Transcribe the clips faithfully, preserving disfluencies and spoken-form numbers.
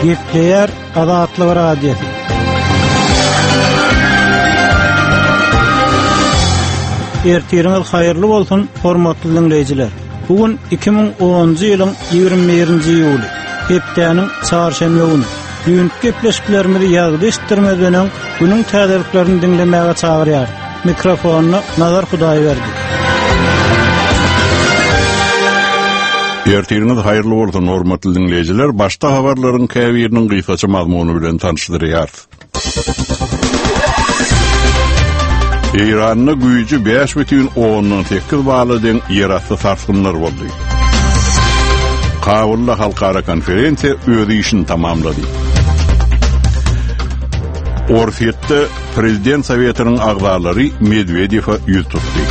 Gepleýär Azatlyk Radiosy. Ertiriňiz haýyrly bolsun, hormatly dinleýjiler. Bu gün iki müň onunjy ýylyň ýigrimi birinji iýuly, hepdäniň çarşenbe güni. Düýnki gepleşiklerimizi ýazgy eşitdirmezden öň günüň täzeliklerini diňlemäge çagyrýar. Mikrofonda Nazar Hudaýberdi. Ertiriňiz haýyrly bolsun, hormatly dinleýjiler. Başda habarlaryň käbiriniň gysgaça mazmuny bilen tanyşdyrýarys. Eýranda güýji bäş bütin ondan sekiz bala deň ýerasty sarsgynlar boldy. Kabulda halkara konferensiýa öz işini tamamlady. Orsýetde Prezident Sowetiniň agzalary Medwedewe ýüz tutdy.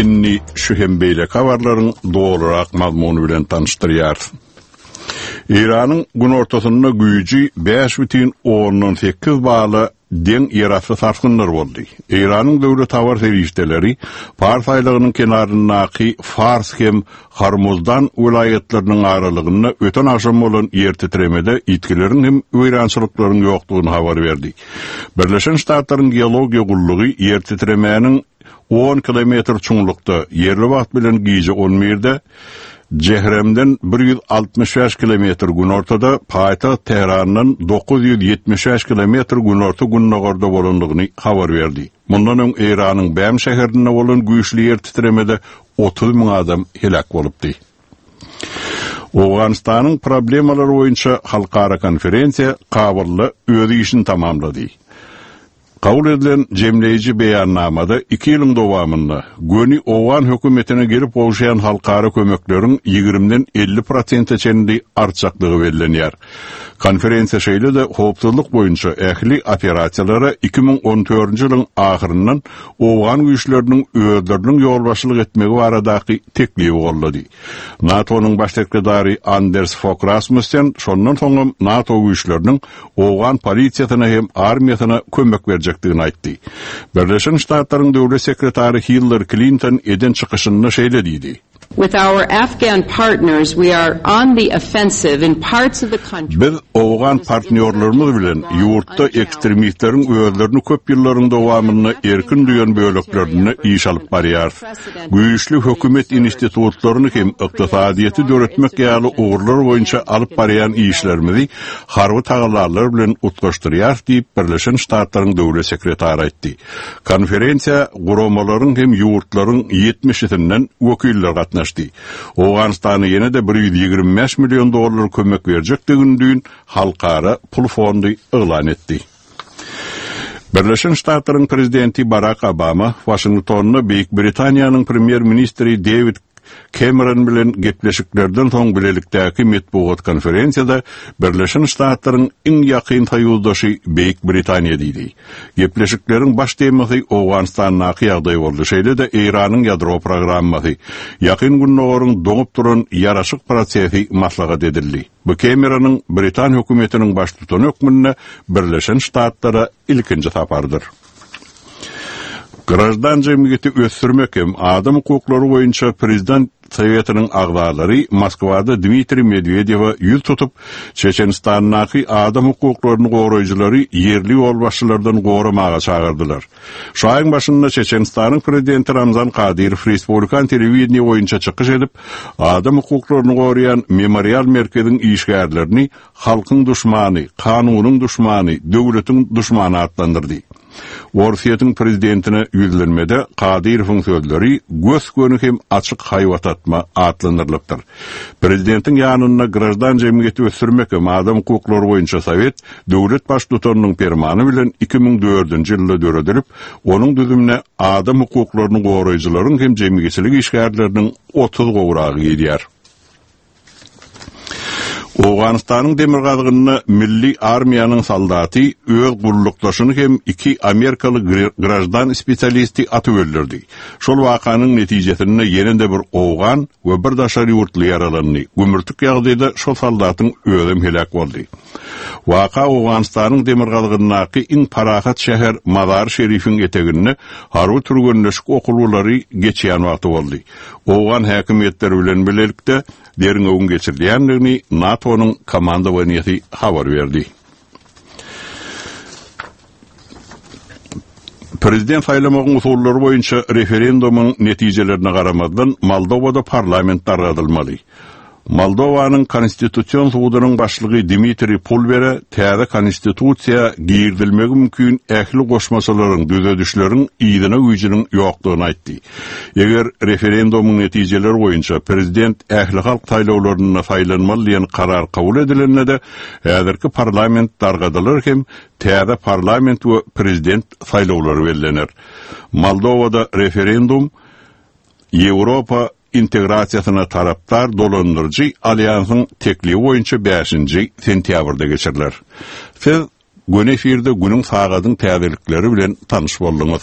Indi şu hem beýleki habarlaryň dolurak mazmuny bilen tanyşdyrýarys. Eýranyň günortasynda güýji bäş bütin ondan sekiz bala deň ýerasty sarsgynlar boldy. Eýranyň döwlet habar serişdeleri Fars aýlagynyň kenaryndaky Fars hem Hormuzdan welaýatlarynyň aralygynda öten agşam bolan ýer titremede ýitgileriň hem weýrançylyklaryň ýokdugyny habar berdi. Birleşen Ştatlaryň geologiýa gullugy ýer titremäniň on kilometr çuňlukda ýerli wagt bilen gije on birde Jehremden bir ýüz altmyş bäş kilometr günortada, paýtagt Tährandan dokuz ýüz ýetmiş bäş kilometr günorta gündogarda bolandygyny habar berdi. Mundan öň Eýranyň Bäm şäherinde bolan güýçli ýer titremede otuz müň adam heläk bolupdy. Owganystanyň problemalary boýunça halkara konferensiýa Kabulda öz işini tamamlady. Kabul edilen jemleýji beýannamada iki ýylyň dowamynda göni Owgan hökümetine gelip gowşaýan halkara kömekleriň ýigrimden elli prosente çenli artjakdygy bellenýär. Konferensiýa şeýle-de howpsuzlyk boýunça ähli operasiýalara iki müň on dördünji ýylyň ahyryndan Owgan güýçleriniň özleriniň ýolbaşçylyk etmegi baradaky teklibi gollady. NATO-nyň baş sekretary Anders Fogh Rasmussen şondan soňam NATO güýçleriniň Owgan polisiýasyna hem armiýasyna kömek berjekdigini aýtdy. Birleşen Ştatlaryň döwlet sekretary Hillary Clinton eden çykyşynda şeýle diýdi. With our Afghan partners, we are on the offensive in parts of the country. Biz Owgan partnýorlarymyz bilen ýurtda ekstremistleriň özlerini köp ýyllaryň dowamynda erkin duýan böleklerinde iş alyp barýarys. Güýçli hökümet institutlaryny hem ykdysadyýeti döretmek ýaly ugurlar boýunça alyp barýan işlerimizi harby tagallalar bilen utgaşdyrýarys diýip Birleşen Ştatlaryň döwlet sekretary aýtdy. Konferensiýa guramalaryň hem ýurtlaryň ýetmişisinden wekiller gatnaşdy. Owganystana ýene-de bir ýüz ýigrimi bäş million dollar kömek berjekdigini düýn Halkara Pul Fondy yglan etdi. Birleşen Ştatlaryň prezidenti Barack Obama Washingtonda Beýik Britaniýanyň premýer-ministri David Cameron bilen gepleşiklerden soň bilelikdäki metbugat konferensiýada Birleşen Ştatlaryň iň ýakyn soýuzdaşy Beýik Britaniýa diýdi. Gepleşikleriň baş temasy Owganystandaky ýagdaý boldy, şeýle-de Eýranyň ýadro programmasy, Ýakyn Gündogaryň doňup duran ýaraşyk prosesi maslahat edildi. Bu Cameronyň Britan hökümetiniň baştutany hökmünde Birleşen Ştatlara ilkinji sapardyr. Grajdan jemgyýeti ösdürmek hem adam hukuklary boýunça prezident Sowetiniň agzalary Moskwada Dmitriý Medwedewe ýüz tutup, Çeçenistandaky adam hukuklaryny goraýjylary ýerli ýolbaşçylardan goramaga çagyrdylar. Şu aýyň başynda Çeçenistanyň prezidenti Ramzan Kadyrow Respublikan telewideniýe boýunça çykyş edip, adam hukuklaryny goraýan memorial merkeziň işgärlerini halkyň duşmany, kanunyň duşmany, döwletiň duşmany atlandyrdy. Orsýetiň prezidentine ýüzlenmede Kadyrowyň sözleri gös-göni hem açyk haýbat atma atlandyrylypdyr. Prezidentiň ýanynda grajdan jemgyýeti ösdürmek hem adam hukuklary boýunça Sowet döwlet baştutanynyň permany bilen iki müň dördünji ýylda döredilip, onuň düzümine adam hukuklaryny goraýjylaryň hem jemgyýetçilik işgärleriniň otuz gowragy girýär. Owganystanyň demirgazygynda milli armiýanyň soldaty öz gullukdaşyny hem iki amerikaly grajdan spesialisti atyp öldürdi. Şol wakanyň netijesinde ýene-de bir owgan we bir daşary ýurtly ýaralandy. Gümürtik ýagdaýda şol soldatyň özem heläk boldy. Waka Owganystanyň demirgazygyndaky iň parahat şäher Mazar Şerifiň eteginde harby türgenleşik okuwlary geçýän wagty boldy. Owgan häkimiýetleri bilen bilelikde derňewiň geçirilýändigini NATO-nyň komandowaniýasy habar berdi. Prezident saýlamagyň usullary boýunça referendumyň netijelerine garamazdan Moldowada parlament dargadylmaly. Moldowanyň konstitusion sudunyň başlygy Dmitriý Pulbere täze konstitusiýa girizilmegi mümkin ähli goşmaçalaryň düzedişleriň ýygyna güýjüniň ýokdugyny aýtdy. Eger referendumyň netijeleri boýunça prezident ähli halk saýlawlarynda saýlanmaly diýen karar kabul edilende-de, häzirki parlament dargadylar hem täze parlament we prezident saýlawlary bellener. Moldowada referendum Ýewropa integrasiýasyna tarapdar dolandyryjy alýansyň teklibi boýunça bäşinji sentýabrda geçiriler. Siz göni efirde günüň sagadyň täzelikleri bilen tanyş bolduňyz.